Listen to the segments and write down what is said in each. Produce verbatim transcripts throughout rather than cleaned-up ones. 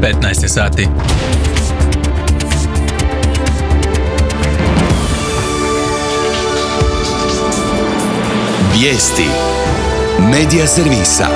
petnaest je sati. Vijesti Medija servisa.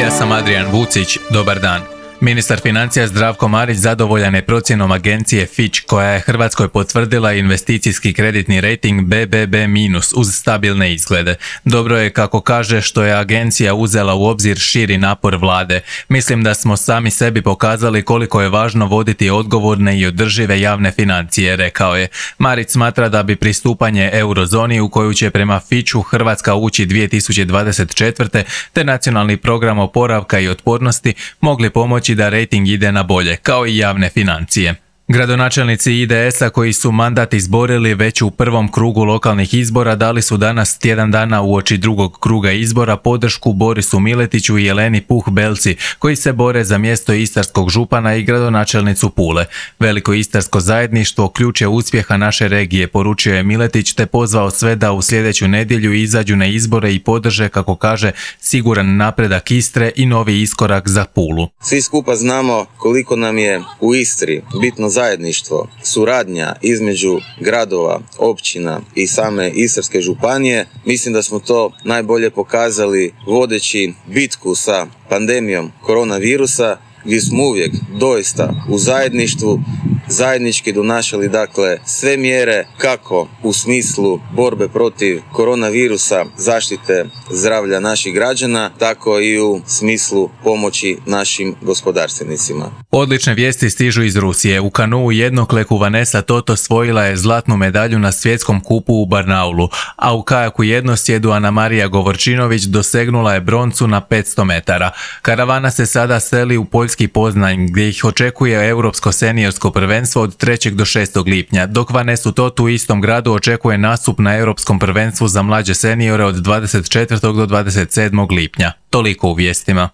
Ja sam Adrian Vucić, dobar dan. Ministar financija Zdravko Marić zadovoljan je procjenom agencije Fitch koja je Hrvatskoj potvrdila investicijski kreditni rejting be be be minus uz stabilne izglede. Dobro je, kako kaže, što je agencija uzela u obzir širi napor vlade. Mislim da smo sami sebi pokazali koliko je važno voditi odgovorne i održive javne financije, rekao je. Marić smatra da bi pristupanje eurozoni u koju će prema Fitchu Hrvatska ući dvije tisuće dvadeset četvrte te nacionalni program oporavka i otpornosti mogli pomoći da rejting ide na bolje, kao i javne financije. Gradonačelnici i de es a koji su mandat izborili već u prvom krugu lokalnih izbora dali su danas, tjedan dana uoči drugog kruga izbora, podršku Borisu Miletiću i Jeleni Puh Belci, koji se bore za mjesto istarskog župana i gradonačelnicu Pule. Veliko istarsko zajedništvo ključ je uspjeha naše regije, poručio je Miletić, te pozvao sve da u sljedeću nedjelju izađu na izbore i podrže, kako kaže, siguran napredak Istre i novi iskorak za Pulu. Svi skupa znamo koliko nam je u Istri bitno zajedništvo, suradnja između gradova, općina i same Istarske županije. Mislim da smo to najbolje pokazali vodeći bitku sa pandemijom koronavirusa, gdje smo uvijek doista u zajedništvu zajednički donašali dakle sve mjere kako u smislu borbe protiv koronavirusa, zaštite zdravlja naših građana, tako i u smislu pomoći našim gospodarstvenicima. Odlične vijesti stižu iz Rusije. U kanuu jednokleku Vanessa Toto osvojila je zlatnu medalju na svjetskom kupu u Barnaulu, a u kajaku jednosjedu Anamarija Govorčinović dosegnula je broncu na petsto metara. Karavana se sada seli u poljski Poznanj, gdje ih očekuje europsko seniorsko prvenstvo od trećeg do šestog lipnja, dok Vanessu Totu u istom gradu očekuje nastup na europskom prvenstvu za mlađe seniore od dvadeset četvrtog do dvadeset sedmog lipnja. Toliko u vijestima.